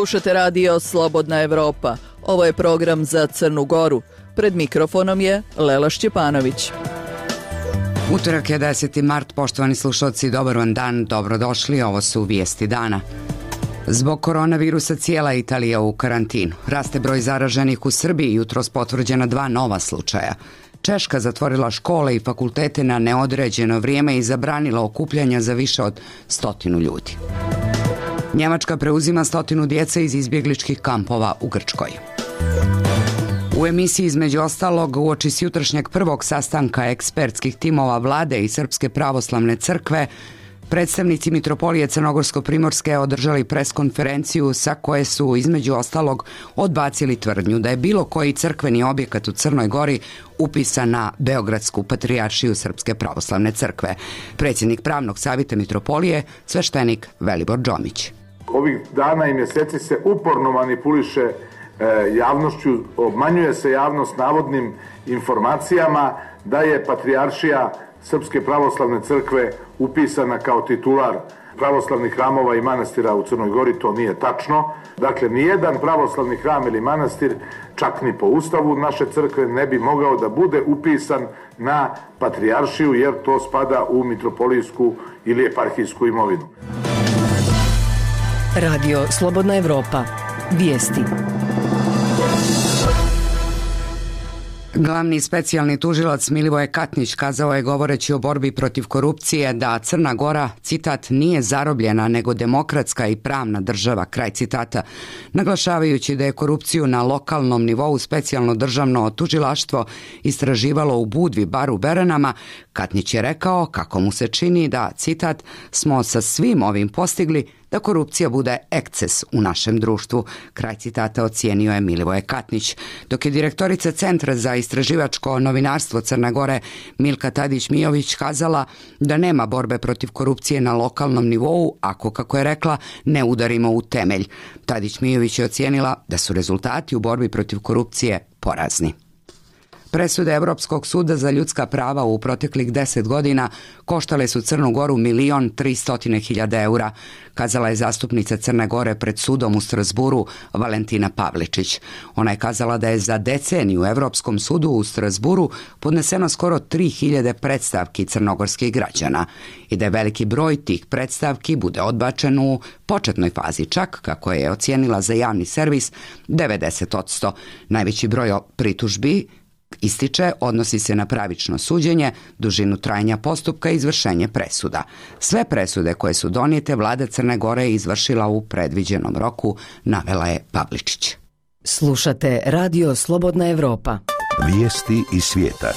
Slušate radio Slobodna Evropa. Ovo je program za Crnu Goru. Pred mikrofonom je Lela Šćepanović. Utorak je 10. mart, poštovani slušalci, dobar vam dan, dobrodošli, ovo su vijesti dana. Zbog koronavirusa cijela Italija u karantinu. Raste broj zaraženih u Srbiji, jutros potvrđena 2 nova slučaja. Češka zatvorila škole i fakultete na neodređeno vrijeme i zabranila okupljanja za više od 100 ljudi. Njemačka preuzima 100 djece iz izbjegličkih kampova u Grčkoj. U emisiji između ostalog uoči s jutrošnjeg prvog sastanka ekspertskih timova vlade i Srpske pravoslavne crkve, predstavnici Mitropolije Crnogorsko-Primorske održali preskonferenciju sa koje su između ostalog odbacili tvrdnju da je bilo koji crkveni objekat u Crnoj Gori upisan na Beogradsku patrijaršiju Srpske pravoslavne crkve. Predsjednik pravnog savjeta Mitropolije, sveštenik Velibor Džomić. Ovih dana i mjeseci se uporno manipuliše javnošću, obmanjuje se javnost navodnim informacijama da je patrijaršija Srpske pravoslavne crkve upisana kao titular pravoslavnih hramova i manastira u Crnoj Gori. To nije tačno. Dakle, nijedan pravoslavni hram ili manastir, čak ni po ustavu naše crkve, ne bi mogao da bude upisan na patrijaršiju, jer to spada u mitropolijsku ili eparhijsku imovinu. Radio Slobodna Evropa. Vijesti. Glavni specijalni tužilac Milivoje Katnić kazao je, govoreći o borbi protiv korupcije, da Crna Gora, citat, nije zarobljena nego demokratska i pravna država, kraj citata, naglašavajući da je korupciju na lokalnom nivou specijalno državno tužilaštvo istraživalo u Budvi, bar u Beranama. Katnić je rekao kako mu se čini da, citat, smo sa svim ovim postigli da korupcija bude eksces u našem društvu. Kraj citata ocijenio je Milivoje Katnić. Dok je direktorica Centra za istraživačko novinarstvo Crne Gore Milka Tadić-Mijović kazala da nema borbe protiv korupcije na lokalnom nivou ako, kako je rekla, ne udarimo u temelj. Tadić-Mijović je ocijenila da su rezultati u borbi protiv korupcije porazni. Presude Europskog suda za ljudska prava u proteklih 10 godina koštale su Crnu Goru 1.300.000 eura, kazala je zastupnica Crne Gore pred sudom u Strasburu Valentina Pavličić. Ona je kazala da je za deceniju u Europskom sudu u Strasburu podneseno skoro 3.000 predstavki crnogorskih građana i da je veliki broj tih predstavki bude odbačen u početnoj fazi, čak, kako je ocijenila za javni servis, 90%. Najveći broj pritužbi, ističe, odnosi se na pravično suđenje, dužinu trajanja postupka i izvršenje presuda. Sve presude koje su donijete vlada Crne Gore je izvršila u predviđenom roku, navela je Pavličić. Slušate radio Slobodna Evropa. Vijesti iz svijeta.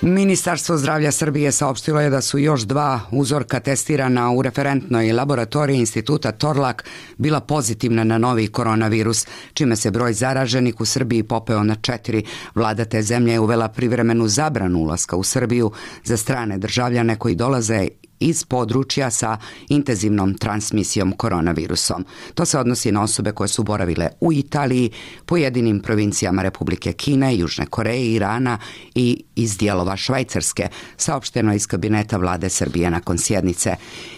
Ministarstvo zdravlja Srbije saopštilo je da su još 2 uzorka testirana u referentnoj laboratoriji Instituta Torlak bila pozitivna na novi koronavirus, čime se broj zaraženih u Srbiji popeo na 4. Vlada te zemlje je uvela privremenu zabranu ulaska u Srbiju za strane državljane koji dolaze iz područja sa intenzivnom transmisijom koronavirusom. To se odnosi na osobe koje su boravile u Italiji, pojedinim provincijama Republike Kine, Južne Koreje, Irana i iz dijelova Švajcarske, saopšteno iz kabineta vlade Srbije nakon sjednice.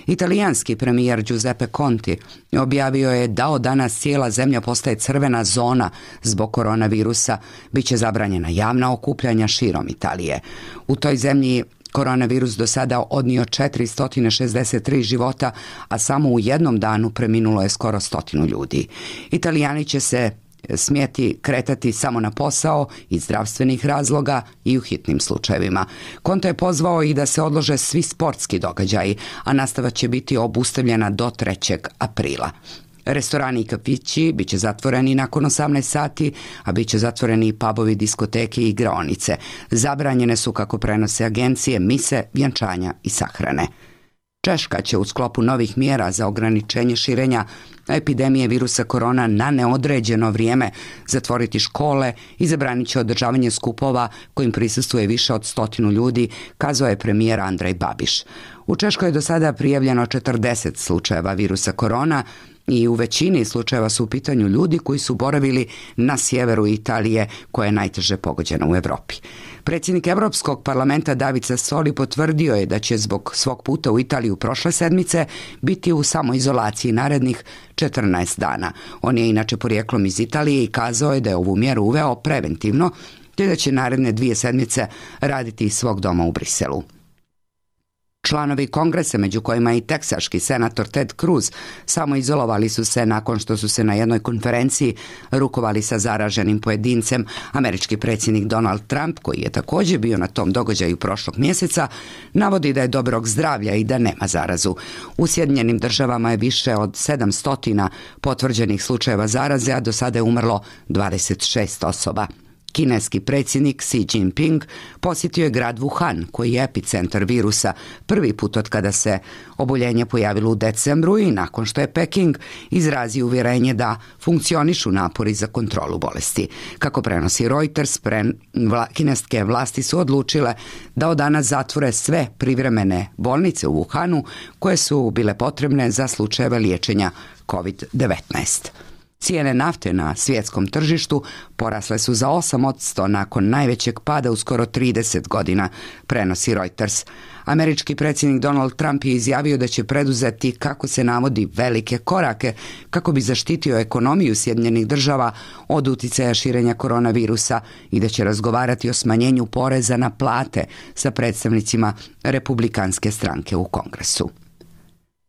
Italijanski premijer Giuseppe Conte objavio je da od danas cijela zemlja postaje crvena zona zbog koronavirusa, biće zabranjena javna okupljanja širom Italije. U toj zemlji koronavirus do sada odnio 463 života, a samo u jednom danu preminulo je skoro 100 ljudi. Italijani će se smjeti kretati samo na posao iz zdravstvenih razloga i u hitnim slučajevima. Conte je pozvao i da se odlože svi sportski događaji, a nastava će biti obustavljena do 3. aprila. Restorani i kafići biće zatvoreni nakon 18 sati, a biće zatvoreni i pubovi, diskoteke i igraonice. Zabranjene su, kako prenose agencije, mise, vjenčanja i sahrane. Češka će u sklopu novih mjera za ograničenje širenja epidemije virusa korona na neodređeno vrijeme zatvoriti škole i zabranit će održavanje skupova kojim prisustvuje više od 100 ljudi, kazao je premijer Andrej Babiš. U Češkoj je do sada prijavljeno 40 slučajeva virusa korona i u većini slučajeva su u pitanju ljudi koji su boravili na sjeveru Italije, koja je najteže pogođena u Europi. Predsjednik Evropskog parlamenta David Sassoli potvrdio je da će zbog svog puta u Italiju prošle sedmice biti u samoizolaciji narednih 14 dana. On je inače porijeklom iz Italije i kazao je da je ovu mjeru uveo preventivno, te da će naredne 2 sedmice raditi iz svog doma u Briselu. Članovi kongresa, među kojima i teksaški senator Ted Cruz, samoizolovali su se nakon što su se na jednoj konferenciji rukovali sa zaraženim pojedincem. Američki predsjednik Donald Trump, koji je također bio na tom događaju prošlog mjeseca, navodi da je dobrog zdravlja i da nema zarazu. U Sjedinjenim Državama je više od 700 potvrđenih slučajeva zaraze, a do sada je umrlo 26 osoba. Kineski predsjednik Xi Jinping posjetio je grad Wuhan, koji je epicentar virusa, prvi put od kada se oboljenje pojavilo u decembru i nakon što je Peking izrazio uvjerenje da funkcionišu napori za kontrolu bolesti. Kako prenosi Reuters, kineske vlasti su odlučile da od danas zatvore sve privremene bolnice u Wuhanu koje su bile potrebne za slučajeve liječenja COVID-19. Cijene nafte na svjetskom tržištu porasle su za 8% nakon najvećeg pada u skoro 30 godina, prenosi Reuters. Američki predsjednik Donald Trump je izjavio da će preduzeti, kako se navodi, velike korake kako bi zaštitio ekonomiju Sjedinjenih Država od uticaja širenja koronavirusa i da će razgovarati o smanjenju poreza na plate sa predstavnicima Republikanske stranke u Kongresu.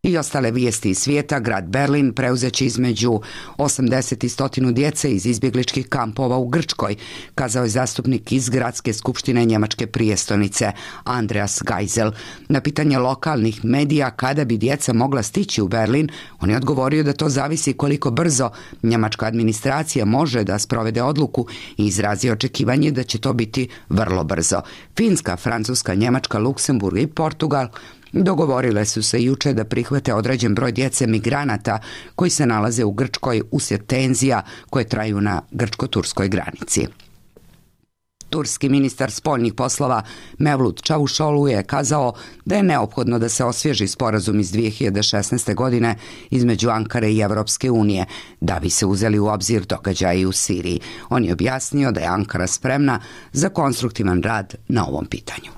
I ostale vijesti iz svijeta. Grad Berlin preuzeće između 80 i 100 djece iz izbjegličkih kampova u Grčkoj, kazao je zastupnik iz Gradske skupštine njemačke prijestolnice Andreas Geisel. Na pitanje lokalnih medija kada bi djeca mogla stići u Berlin, on je odgovorio da to zavisi koliko brzo njemačka administracija može da sprovede odluku i izrazio očekivanje da će to biti vrlo brzo. Finska, Francuska, Njemačka, Luksemburg i Portugal dogovorile su se jučer da prihvate određen broj djece migranata koji se nalaze u Grčkoj uslijed tenzija koje traju na grčko-turskoj granici. Turski ministar spoljnih poslova Mevlut Čavuşoğlu je kazao da je neophodno da se osvježi sporazum iz 2016. godine između Ankare i Evropske unije, da bi se uzeli u obzir događaji u Siriji. On je objasnio da je Ankara spremna za konstruktivan rad na ovom pitanju.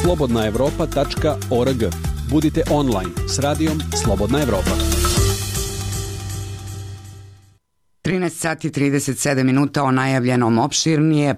slobodnaevropa.org. Budite online s radijom Slobodna Evropa. 13 sati 37 minuta o najavljenom opširnije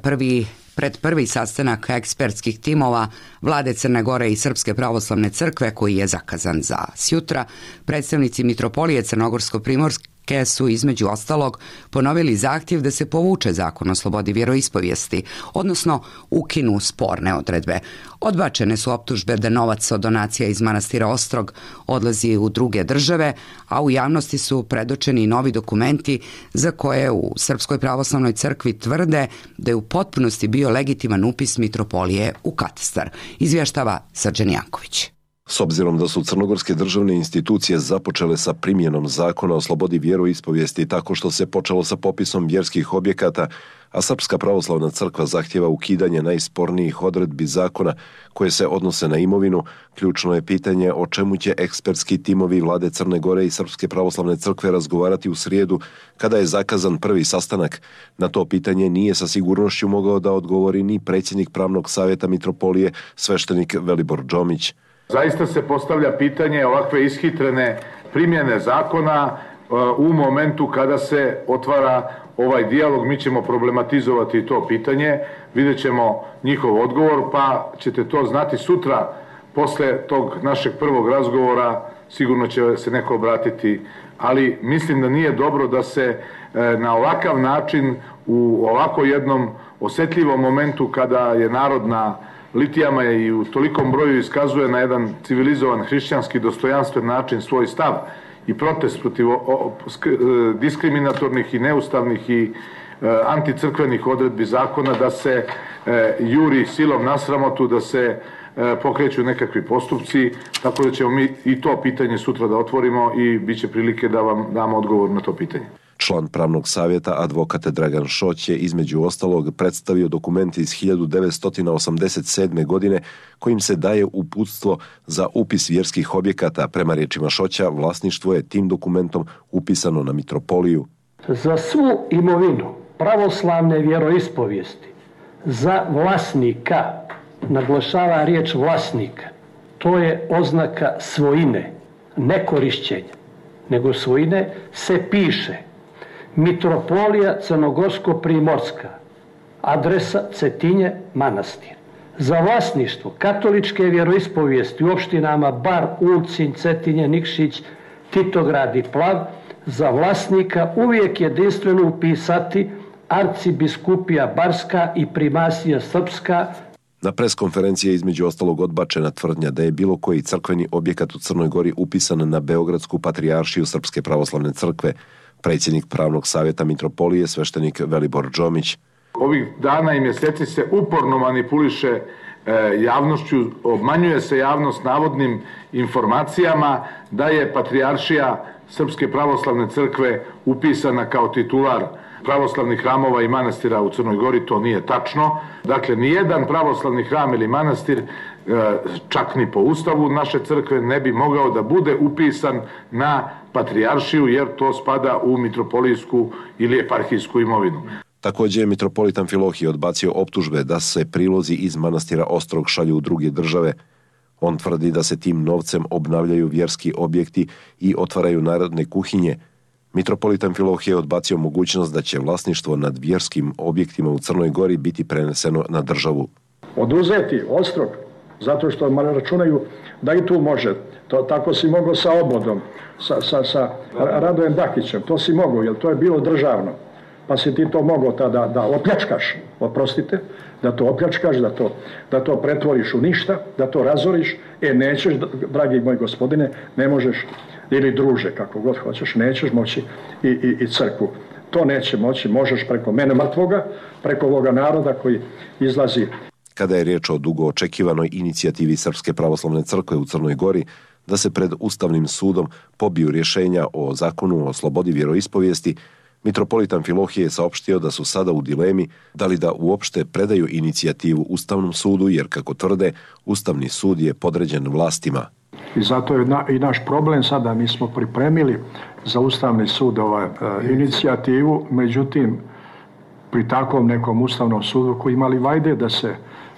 prvi sastanak ekspertskih timova Vlade Crne Gore i Srpske pravoslavne crkve koji je zakazan za sjutra. Predstavnici Mitropolije Crnogorsko-Primorske su između ostalog ponovili zahtjev da se povuče zakon o slobodi vjeroispovijesti, odnosno ukinu sporne odredbe. Odbačene su optužbe da novac od donacija iz manastira Ostrog odlazi u druge države, a u javnosti su predočeni novi dokumenti za koje u Srpskoj pravoslavnoj crkvi tvrde da je u potpunosti bio legitiman upis Mitropolije u katastar. Izvještava Srđan Janković. S obzirom da su crnogorske državne institucije započele sa primjenom zakona o slobodi vjeroispovijesti tako što se počelo sa popisom vjerskih objekata, a Srpska pravoslavna crkva zahtjeva ukidanje najspornijih odredbi zakona koje se odnose na imovinu, ključno je pitanje o čemu će ekspertski timovi Vlade Crne Gore i Srpske pravoslavne crkve razgovarati u srijedu kada je zakazan prvi sastanak. Na to pitanje nije sa sigurnošću mogao da odgovori ni predsjednik Pravnog savjeta Mitropolije, sveštenik Velibor Džomić. Zaista se postavlja pitanje ovakve ishitrene primjene zakona u momentu kada se otvara ovaj dijalog. Mi ćemo problematizovati to pitanje, vidjet ćemo njihov odgovor, pa ćete to znati sutra. Posle tog našeg prvog razgovora sigurno će se neko obratiti, ali mislim da nije dobro da se na ovakav način u ovako jednom osjetljivom momentu kada je narod na litijama i u tolikom broju iskazuje na jedan civilizovan, hrišćanski, dostojanstven način svoj stav i protest protiv diskriminatornih i neustavnih i anticrkvenih odredbi zakona, da se juri silom na sramotu, da se pokreću nekakvi postupci, tako da ćemo mi i to pitanje sutra da otvorimo i bit će prilike da vam damo odgovor na to pitanje. Član Pravnog savjeta advokat Dragan Šoć je između ostalog predstavio dokument iz 1987. godine kojim se daje uputstvo za upis vjerskih objekata. Prema riječima Šoća, vlasništvo je tim dokumentom upisano na Mitropoliju. Za svu imovinu pravoslavne vjeroispovijesti Za vlasnika, naglašava riječ vlasnika, to je oznaka svojine, ne korišćenja, nego svojine, se piše Mitropolija Crnogorsko-Primorska, adresa Cetinje, manastir. Za vlasništvo katoličke vjeroispovijesti u opštinama Bar, Ulcinj, Cetinje, Nikšić, Titograd i Plav, za vlasnika uvijek jedinstveno upisati Arcibiskupija Barska i Primasija Srpska. Na preskonferenciji je između ostalog odbačena tvrdnja da je bilo koji crkveni objekat u Crnoj Gori upisan na Beogradsku patrijaršiju Srpske pravoslavne crkve. Predsjednik Pravnog savjeta Mitropolije, sveštenik Velibor Džomić. Ovih dana i mjeseci se uporno manipuliše javnošću, obmanjuje se javnost navodnim informacijama da je patrijaršija Srpske pravoslavne crkve upisana kao titular pravoslavnih hramova i manastira u Crnoj Gori. To nije tačno. Dakle, nijedan pravoslavni hram ili manastir, čak ni po ustavu naše crkve, ne bi mogao da bude upisan na patrijaršiju, jer to spada u mitropolijsku ili eparhijsku imovinu. Također je mitropolit Amfilohije odbacio optužbe da se prilozi iz manastira Ostrog šalju u druge države. On tvrdi da se tim novcem obnavljaju vjerski objekti i otvaraju narodne kuhinje. Mitropolit Amfilohije je odbacio mogućnost da će vlasništvo nad vjerskim objektima u Crnoj Gori biti preneseno na državu. Oduzeti Ostrog, zato što računaju da i tu može. Tako si mogao sa Obodom, sa Radojem Dakićem, to si mogao, jer to je bilo državno. Pa si ti to mogao tada da opljačkaš, oprostite, da to opljačkaš, da to pretvoriš u ništa, da to razoriš. Nećeš, dragi moj gospodine, ne možeš, ili druže, kako god hoćeš, nećeš moći i crkvu. To neće moći, možeš preko mene mrtvoga, preko ovoga naroda koji izlazi. Kada je riječ o dugo očekivanoj inicijativi Srpske pravoslavne crkve u Crnoj Gori da se pred Ustavnim sudom pobiju rješenja o zakonu o slobodi vjeroispovijesti, mitropolit Amfilohije je saopštio da su sada u dilemi da li da uopšte predaju inicijativu Ustavnom sudu, jer kako tvrde, Ustavni sud je podređen vlastima. I zato je i naš problem sada, mi smo pripremili za Ustavni sud inicijativu, međutim, pri takvom nekom Ustavnom sudu koji imali vajde da se,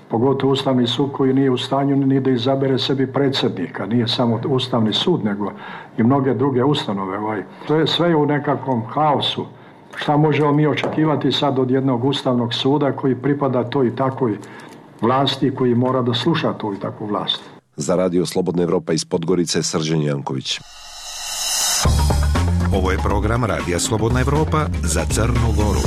pogotovo Ustavni sud koji nije u stanju ni da izabere sebi predsjednika, nije samo Ustavni sud, nego i mnoge druge ustanove. To je sve u nekakvom haosu. Šta možemo mi očekivati sad od jednog Ustavnog suda koji pripada toj i takvoj vlasti, koji mora da sluša tu i takvu vlast? Za Radio Slobodna Evropa iz Podgorice, Srđan Janković. Ovo je program Radija Slobodna Evropa za Crnu Goru.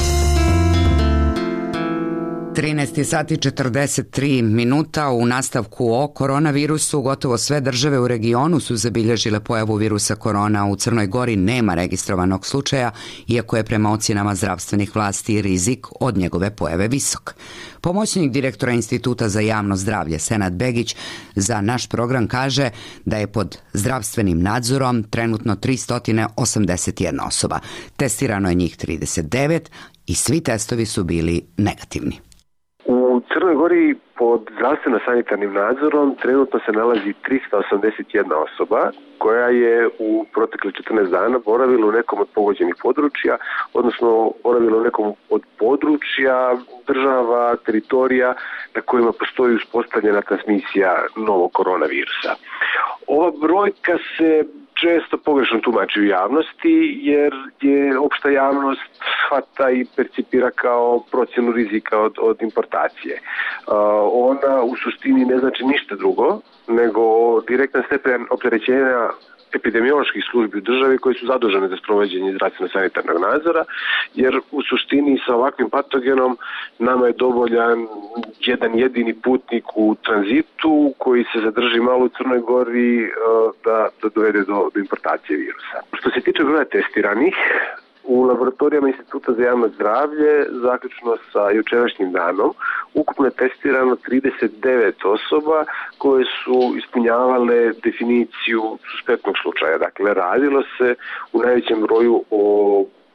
13 sati 43 minuta. U nastavku o koronavirusu, gotovo sve države u regionu su zabilježile pojavu virusa korona. U Crnoj Gori nema registrovanog slučaja, iako je prema ocjenama zdravstvenih vlasti rizik od njegove pojave visok. Pomoćnik direktora Instituta za javno zdravlje Senad Begić za naš program kaže da je pod zdravstvenim nadzorom trenutno 381 osoba. Testirano je njih 39 i svi testovi su bili negativni. U Crnoj Gori pod zdravstveno-sanitarnim nadzorom trenutno se nalazi 381 osoba koja je u protekle 14 dana boravila u nekom od pogođenih područja, odnosno boravila u nekom od područja, država, teritorija na kojima postoji uspostavljena transmisija novog koronavirusa. Ova brojka se često pogrešno tumači u javnosti, jer je opšta javnost shvata i percipira kao procjenu rizika od importacije. Ona u suštini ne znači ništa drugo, nego direktan stepen opterećenja epidemioloških službi u državi koji su zadužene za sprovođenje zdravstveno-sanitarnog nadzora, jer u suštini sa ovakvim patogenom nama je dovoljan jedan jedini putnik u tranzitu koji se zadrži malo u Crnoj Gori da dovede do importacije virusa. Što se tiče broja testiranih, u laboratorijama Instituta za javno zdravlje, zaključno sa jučerašnjim danom, ukupno je testirano 39 osoba koje su ispunjavale definiciju suspektnog slučaja. Dakle, radilo se u najvećem broju o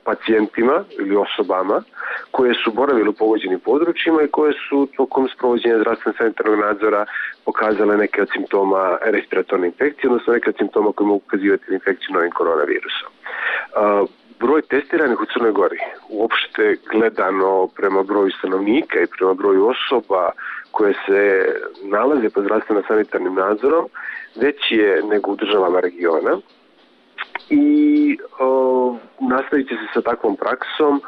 pacijentima ili osobama koje su boravile u pogođenim područjima i koje su tokom sprovođenja zdravstveno-sanitarnog nadzora pokazale neke od simptoma respiratorne infekcije, odnosno neke od simptoma koje mogu ukazivati na infekciju novim koronavirusom. Broj broj testiranih u Crnoj Gori, uopšte gledano prema broju stanovnika i prema broju osoba koje se nalaze pod zdravstveno-sanitarnim nadzorom, veći je nego u državama regiona i nastavit će se sa takvom praksom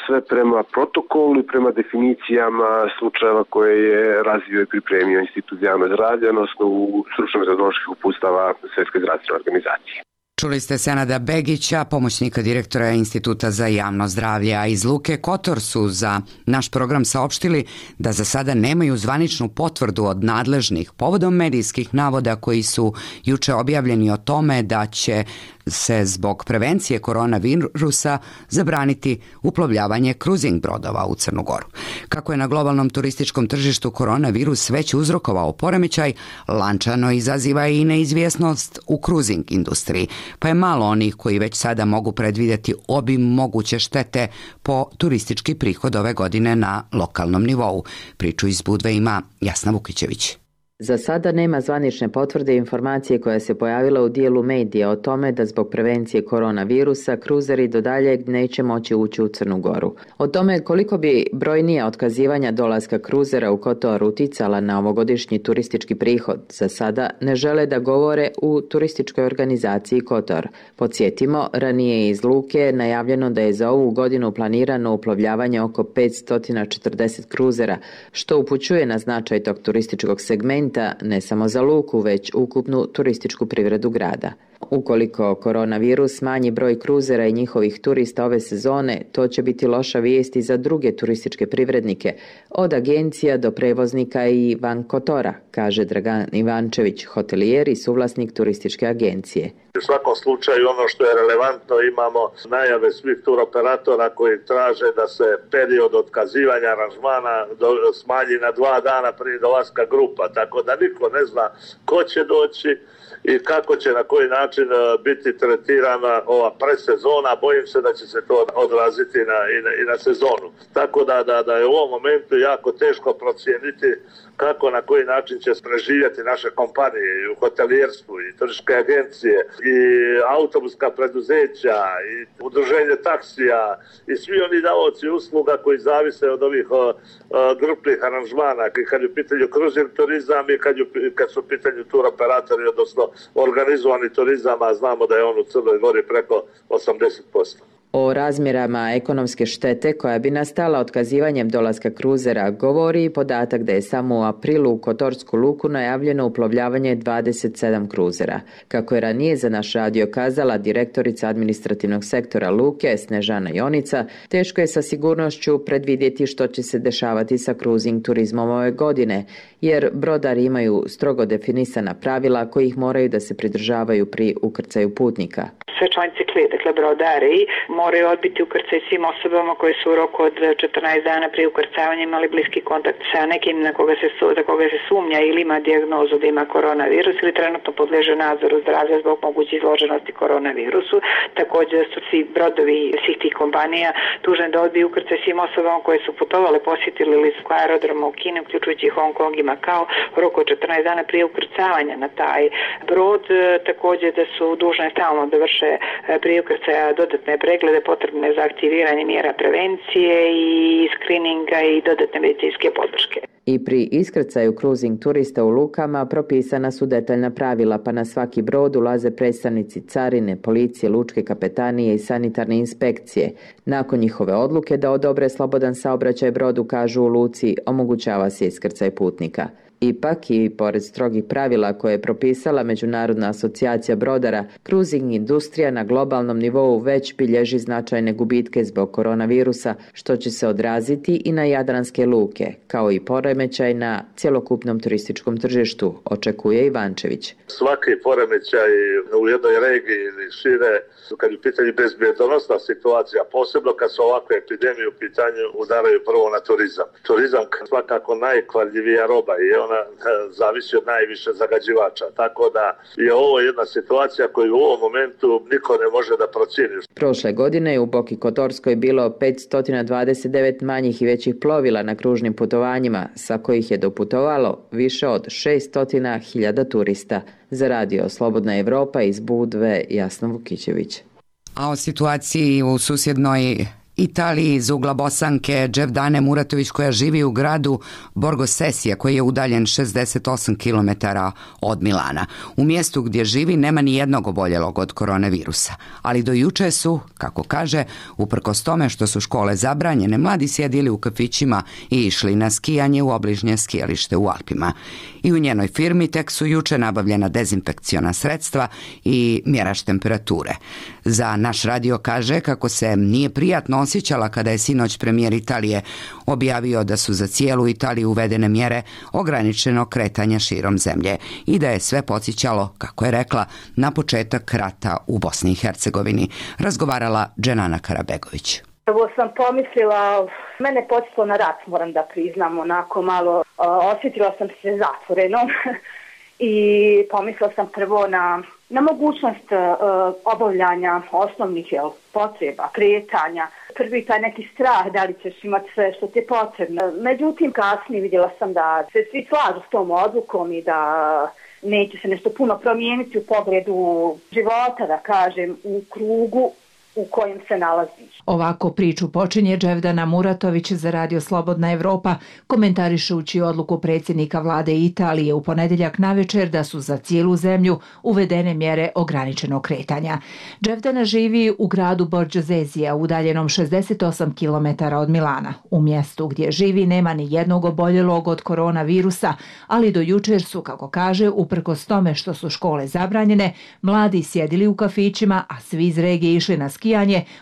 sve prema protokolu i prema definicijama slučajeva koje je razvio i pripremio Institut za javno zdravlje, odnosno u stručno-metodoloških uputstava Svjetske zdravstvene organizacije. Čuli ste Senada Begića, pomoćnika direktora Instituta za javno zdravlje, a iz Luke Kotor su za naš program saopštili da za sada nemaju zvaničnu potvrdu od nadležnih povodom medijskih navoda koji su juče objavljeni o tome da će se zbog prevencije koronavirusa zabraniti uplovljavanje kruzing brodova u Crnu Goru. Kako je na globalnom turističkom tržištu koronavirus već uzrokovao poremećaj, lančano izaziva i neizvjesnost u kruzing industriji, pa je malo onih koji već sada mogu predvidjeti obim moguće štete po turistički prihod ove godine na lokalnom nivou. Priču iz Budve ima Jasna Vukićević. Za sada nema zvanične potvrde informacije koja se pojavila u dijelu medija o tome da zbog prevencije koronavirusa kruzeri do daljeg neće moći ući u Crnu Goru. O tome koliko bi brojnija otkazivanja dolaska kruzera u Kotor uticala na ovogodišnji turistički prihod, za sada ne žele da govore u turističkoj organizaciji Kotor. Podsjetimo, ranije iz Luke najavljeno da je za ovu godinu planirano uplovljavanje oko 540 kruzera, što upućuje na značaj tog turističkog segmenta ne samo za Luku, već ukupnu turističku privredu grada. Ukoliko koronavirus smanji broj kruzera i njihovih turista ove sezone, to će biti loša vijest i za druge turističke privrednike, od agencija do prevoznika i van Kotora, kaže Dragan Ivančević, hotelijer i suvlasnik turističke agencije. U svakom slučaju ono što je relevantno, imamo najave svih turoperatora koji traže da se period otkazivanja aranžmana smanji na 2 dana prije dolaska grupa, tako da niko ne zna ko će doći i kako će na koji način biti tretirana ova predsezona. Bojim se da će se to odraziti i na sezonu. Tako da je u ovom momentu jako teško procijeniti kako na koji način će preživjeti naše kompanije i u hotelijerstvu i turističke agencije i autobuska preduzeća i udruženje taksija i svi oni davaoci usluga koji zavise od ovih grupnih aranžmana, kad je u pitanju kruzing turizam i kad su u pitanju turoperatori, odnosno organizovani turizam, a znamo da je on u Crnoj Gori preko 80%. O razmjerama ekonomske štete koja bi nastala otkazivanjem dolaska kruzera govori i podatak da je samo u aprilu u Kotorsku luku najavljeno uplovljavanje 27 kruzera. Kako je ranije za naš radio kazala direktorica administrativnog sektora Luke Snežana Jonica, teško je sa sigurnošću predvidjeti što će se dešavati sa kruzing turizmom ove godine, jer brodari imaju strogo definisana pravila kojih moraju da se pridržavaju pri ukrcaju putnika. Sve članice klije, dakle brodari, moraju odbiti ukrcaj svim osobama koje su u roku od 14 dana prije ukrcavanja imali bliski kontakt sa nekim za koga se sumnja ili ima dijagnozu da ima koronavirus ili trenutno podleže nadzoru zdravlja zbog moguće izloženosti koronavirusu. Također su svi brodovi svih tih kompanija dužni da odbiju ukrcaj svim osobama koje su putovale, posjetili ili su aerodroma u Kini, uključujući Hong Kong i Makao, u roku od 14 dana prije ukrcavanja na taj brod. Također da su dužne stalno da vrše prije ukrcaja dodatne preglede potrebne za aktiviranje mjera prevencije i skrininga i dodatne medicinske podrške. I pri iskrcaju kruzing turista u lukama propisana su detaljna pravila, pa na svaki brod ulaze predstavnici carine, policije, lučke kapetanije i sanitarne inspekcije. Nakon njihove odluke da odobre slobodan saobraćaj brodu, kažu u luci, omogućava se iskrcaj putnika. Ipak i pored strogih pravila koje je propisala Međunarodna asocijacija brodara, kruzing industrija na globalnom nivou već bilježi značajne gubitke zbog koronavirusa, što će se odraziti i na jadranske luke, kao i poremećaj na cjelokupnom turističkom tržištu, očekuje Ivančević. Svaki poremećaj u jednoj regiji ili šire, kad je u pitanju bezbjedonosna situacija, posebno kad su ovakve epidemije u pitanju, udaraju prvo na turizam. Turizam svakako najkvarljivija roba i ona zavisi od najviše zagađivača. Tako da je ovo jedna situacija koju u ovom momentu niko ne može da procijeni. Prošle godine je u Boki Kotorskoj bilo 529 manjih i većih plovila na kružnim putovanjima, sa kojih je doputovalo više od 600.000 turista. Za radio Slobodna Evropa iz Budve, Jasna Vukićević. A o situaciji u susjednoj Italiji iz ugla Bosanke Dževdane Muratović, koja živi u gradu Borgo Sesija, koji je udaljen 68 km od Milana. U mjestu gdje živi nema ni jednog oboljelog od koronavirusa, ali do juče su, kako kaže, uprkos tome što su škole zabranjene, mladi sjedili u kafićima i išli na skijanje u obližnje skijalište u Alpima. I u njenoj firmi tek su juče nabavljena dezinfekciona sredstva i mjerač temperature. Za naš radio kaže kako se nije prijatno osjećala kada je sinoć premijer Italije objavio da su za cijelu Italiju uvedene mjere ograničenog kretanja širom zemlje i da je sve podsjećalo, kako je rekla, na početak rata u Bosni i Hercegovini. Razgovarala Dženana Karabegović. Prvo sam pomislila, mene podsjetilo na rat, moram da priznam, onako malo osjetila sam se zatvorenom i pomislila sam prvo na mogućnost obavljanja osnovnih potreba, kretanja. Prvi taj neki strah da li ćeš imati sve što ti je potrebno. Međutim, kasnije vidjela sam da se svi slažu s tom odlukom i da neće se nešto puno promijeniti u pogledu života, da kažem, u krugu u kojem se nalaziš. Ovako priču počinje Dževdana Muratović za Radio Slobodna Evropa, komentarišući odluku predsjednika vlade Italije u ponedjeljak navečer da su za cijelu zemlju uvedene mjere ograničenog kretanja. Dževdana živi u gradu Borgo Sesija, udaljenom 68 km od Milana. U mjestu gdje živi nema ni jednog oboljelog od koronavirusa, ali do jučer su, kako kaže, uprkos tome što su škole zabranjene, mladi sjedili u kafićima, a svi iz regije išli na skijanje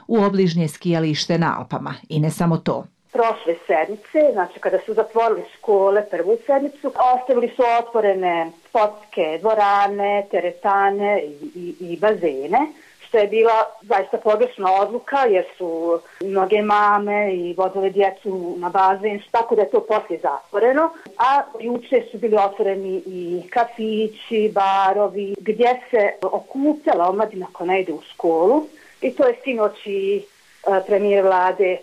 u obližnje skijalište na Alpama. I ne samo to. Prošle sedmice, znači kada su zatvorili škole prvu sedmicu, ostavili su otvorene sportske dvorane, teretane i bazene, što je bila zaista pogrešna odluka jer su mnoge mame i vodile djecu na bazen, tako da je to poslije zatvoreno. A juče su bili otvoreni i kafići, barovi, gdje se okupljala omladina koja ne ide u školu. I to je sinoć i premijer vlade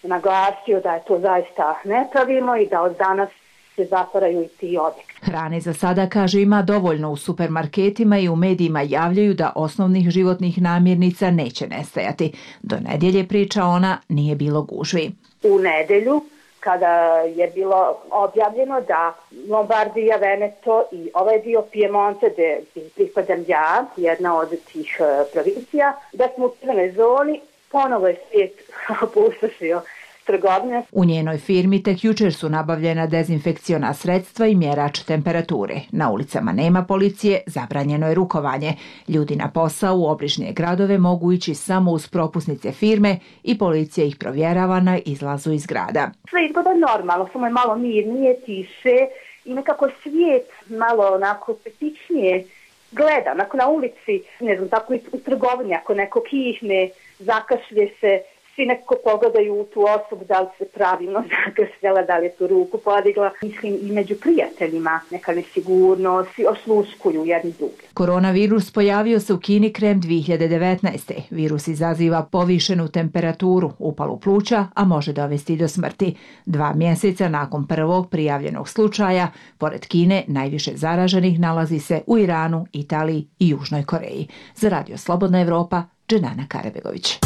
naglasio da je to zaista nepravilno i da od danas se zatvaraju i ti objekti. Hrane za sada, kaže, ima dovoljno u supermarketima i u medijima javljaju da osnovnih životnih namirnica neće nestajati. Do nedjelje, priča ona, nije bilo gužvi. U nedjelju, kada je bilo objavljeno da Lombardija, Veneto i ovaj dio Piemonte, gdje pripadam ja, jedna od tih provincija, da smo u crvenoj zoni, ponovo je svijet opustošio trgovine. U njenoj firmi tek jučer su nabavljena dezinfekciona sredstva i mjerač temperature. Na ulicama nema policije, zabranjeno je rukovanje. Ljudi na posao u obližnje gradove mogu ići samo uz propusnice firme i policija ih provjerava na izlazu iz grada. Sve izgleda normalno, samo je malo mirnije, tiše i nekako svijet malo onako petičnije gleda. Onako na ulici, ne znam, tako i u trgovini, ako neko kihne, zakašlje se, svi nekako pogledaju u tu osobu da li se pravilno zakašljala, da li je tu ruku podigla. Mislim i među prijateljima neka nesigurnost, svi osluškuju jedni drugi. Koronavirus pojavio se u Kini krajem 2019. Virus izaziva povišenu temperaturu, upalu pluća, a može dovesti do smrti. 2 mjeseca nakon prvog prijavljenog slučaja, pored Kine, najviše zaraženih nalazi se u Iranu, Italiji i Južnoj Koreji. Za Radio Slobodna Evropa, Dženana Karabegović.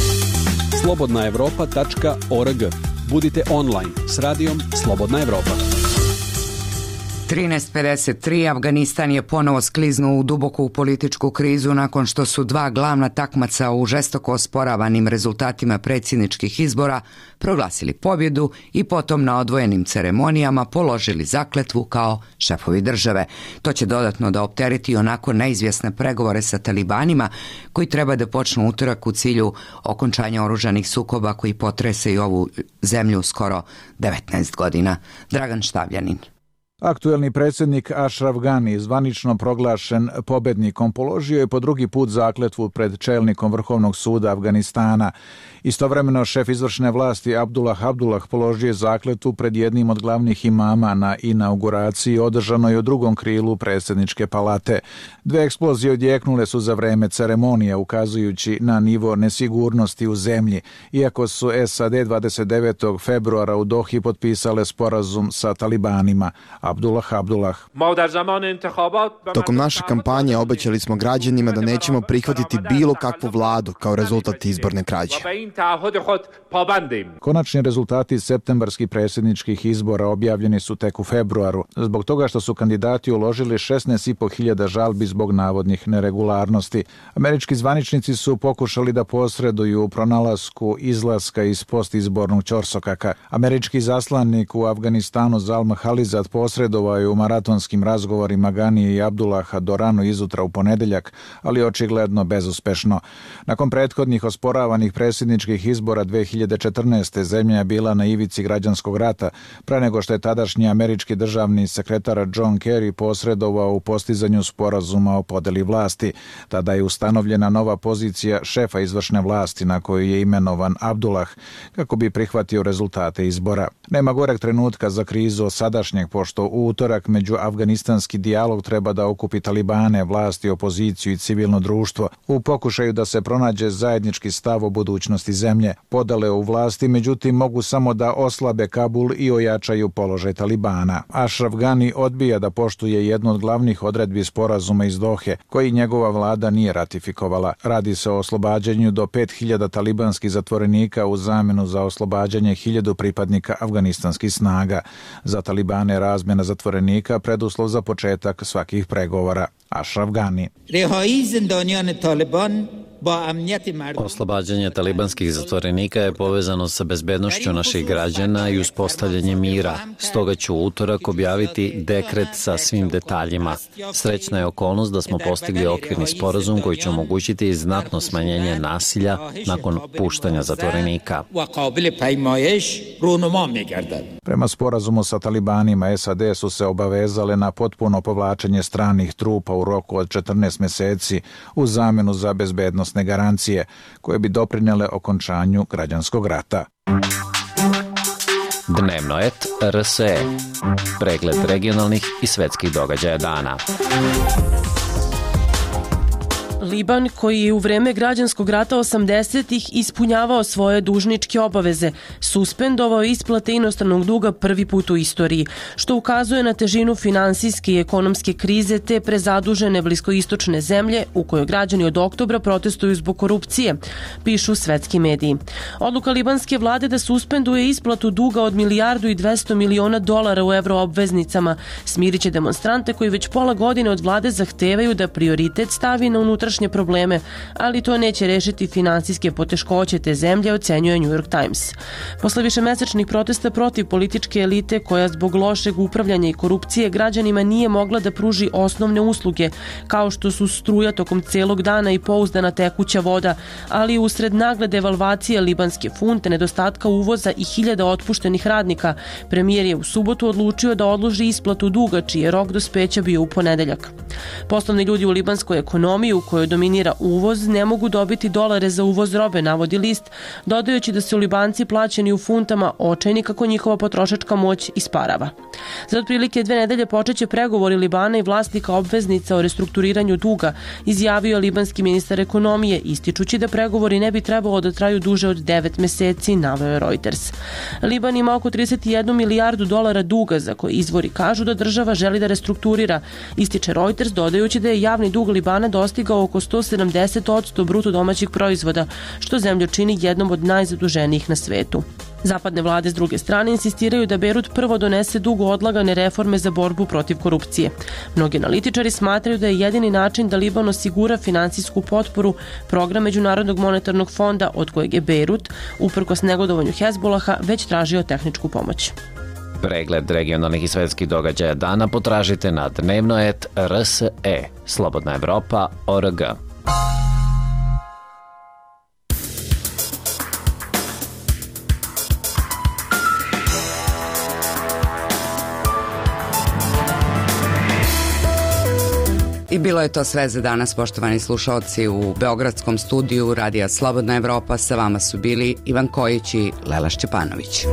slobodnaevropa.org. Budite online s radijom Slobodna Evropa. 13:53 Afganistan je ponovo skliznuo u duboku političku krizu nakon što su 2 glavna takmaca u žestoko osporavanim rezultatima predsjedničkih izbora proglasili pobjedu i potom na odvojenim ceremonijama položili zakletvu kao šefovi države. To će dodatno da optereti onako neizvjesne pregovore sa talibanima koji treba da počnu utorak u cilju okončanja oružanih sukoba koji potresaju ovu zemlju skoro 19 godina. Dragan Štavljanin. Aktuelni predsjednik Ashraf Ghani, zvanično proglašen pobjednikom, položio je po drugi put zakletvu pred čelnikom Vrhovnog suda Afganistana. Istovremeno šef izvršne vlasti Abdullah položio je zakletvu pred jednim od glavnih imama na inauguraciji održanoj u drugom krilu predsjedničke palate. 2 eksplozije odjeknule su za vreme ceremonije, ukazujući na nivo nesigurnosti u zemlji, iako su SAD 29. februara u Dohi potpisale sporazum sa talibanima, a Abdullah Abdullah. Tokom naše kampanje obećali smo građanima da nećemo prihvatiti bilo kakvu vladu kao rezultat izborne krađe. Konačni rezultati septembarskih predsjedničkih izbora objavljeni su tek u februaru, zbog toga što su kandidati uložili 16.500 žalbi zbog navodnih neregularnosti. Američki zvaničnici su pokušali da posreduju u pronalasku izlaska iz postizbornog ćorsokaka. Američki zaslanik u Afganistanu Zalma Halizad posredovao je u maratonskim razgovorima Ganije i Abdullaha do rano izutra u ponedeljak, ali očigledno bezuspešno. Nakon prethodnih osporavanih predsjedničkih izbora 2014. zemlja je bila na ivici građanskog rata, pre nego što je tadašnji američki državni sekretar John Kerry posredovao u postizanju sporazuma o podeli vlasti. Tada je ustanovljena nova pozicija šefa izvršne vlasti na koju je imenovan Abdullah kako bi prihvatio rezultate izbora. Nema goreg trenutka za krizu sadašnjeg, pošto u utorak međuafganistanski dijalog treba da okupi talibane, vlasti, opoziciju i civilno društvo u pokušaju da se pronađe zajednički stav o budućnosti zemlje. Podele u vlasti, međutim, mogu samo da oslabe Kabul i ojačaju položaj talibana. Ashraf Ghani odbija da poštuje jednu od glavnih odredbi sporazuma iz Dohe, koji njegova vlada nije ratifikovala. Radi se o oslobađanju do 5000 talibanskih zatvorenika u zamenu za oslobađanje 1000 pripadnika afganistanskih snaga. Za talibane razmjena zatvorenika preduslov za početak svakih pregovora. Ashraf Ghani. Oslobađanje talibanskih zatvorenika je povezano sa bezbednošću naših građana i uspostavljanjem mira. Stoga ću u utorak objaviti dekret sa svim detaljima. Srećna je okolnost da smo postigli okvirni sporazum koji će omogućiti znatno smanjenje nasilja nakon puštanja zatvorenika. Prema sporazumu sa talibanima, SAD su se obavezale na potpuno povlačenje stranih trupa u roku od 14 meseci u zamenu za bezbednosne garancije koje bi doprinele okončanju građanskog rata. Dnevno et RSE. Pregled regionalnih i svetskih događaja dana. Liban, koji je u vreme građanskog rata 80-ih ispunjavao svoje dužničke obaveze, suspendovao isplate inostranog duga prvi put u istoriji, što ukazuje na težinu finansijske i ekonomske krize te prezadužene bliskoistočne zemlje u kojoj građani od oktobra protestuju zbog korupcije, pišu svetski mediji. Odluka libanske vlade da suspenduje isplatu duga od $1,2 milijardi u evroobveznicama smiriće demonstrante koji već pola godine od vlade zahtevaju da prioritet stavi na unutrašnje probleme, ali to neće rešiti finansijske poteškoće te zemlje, ocenjuje New York Times. Posle višemesečnih protesta protiv političke elite koja zbog lošeg upravljanja i korupcije građanima nije mogla da pruži osnovne usluge, kao što su struja tokom celog dana i pouzdana tekuća voda, ali usred nagle devalvacije libanske funte, nedostatka uvoza i 1000 otpuštenih radnika, premijer je u subotu odlučio da odloži isplatu duga, čiji je rok dospeća bio u ponedeljak. Poslovni ljudi u libanskoj ekonomiji, u kojoj dominira uvoz, ne mogu dobiti dolare za uvoz robe, navodi list, dodajući da su Libanci plaćeni u funtama očajni kako njihova potrošačka moć isparava. Za otprilike 2 nedelje počeće pregovori Libana i vlasnika obveznica o restrukturiranju duga, izjavio je libanski ministar ekonomije, ističući da pregovori ne bi trebalo da traju duže od 9 meseci, naveo je Reuters. Liban ima oko $31 milijardu duga za koje izvori kažu da država želi da restrukturira, ističe Reuters, dodajući da je javni dug Libana dostigao oko 170% bruto domaćeg proizvoda, što zemlju čini jednom od najzaduženijih na svetu. Zapadne vlade s druge strane insistiraju da Berut prvo donese dugo odlagane reforme za borbu protiv korupcije. Mnogi analitičari smatraju da je jedini način da Liban osigura finansijsku potporu program Međunarodnog monetarnog fonda od kojeg je Berut, uprkos negodovanju Hezbolaha, već tražio tehničku pomoć. Pregled regionalnih i svetskih događaja dana potražite na dnevno.rs.e. Slobodna Evropa.org. I bilo je to sve za danas, poštovani slušalci. U beogradskom studiju Radija Slobodna Evropa sa vama su bili Ivan Kojić i Lela Šćepanović.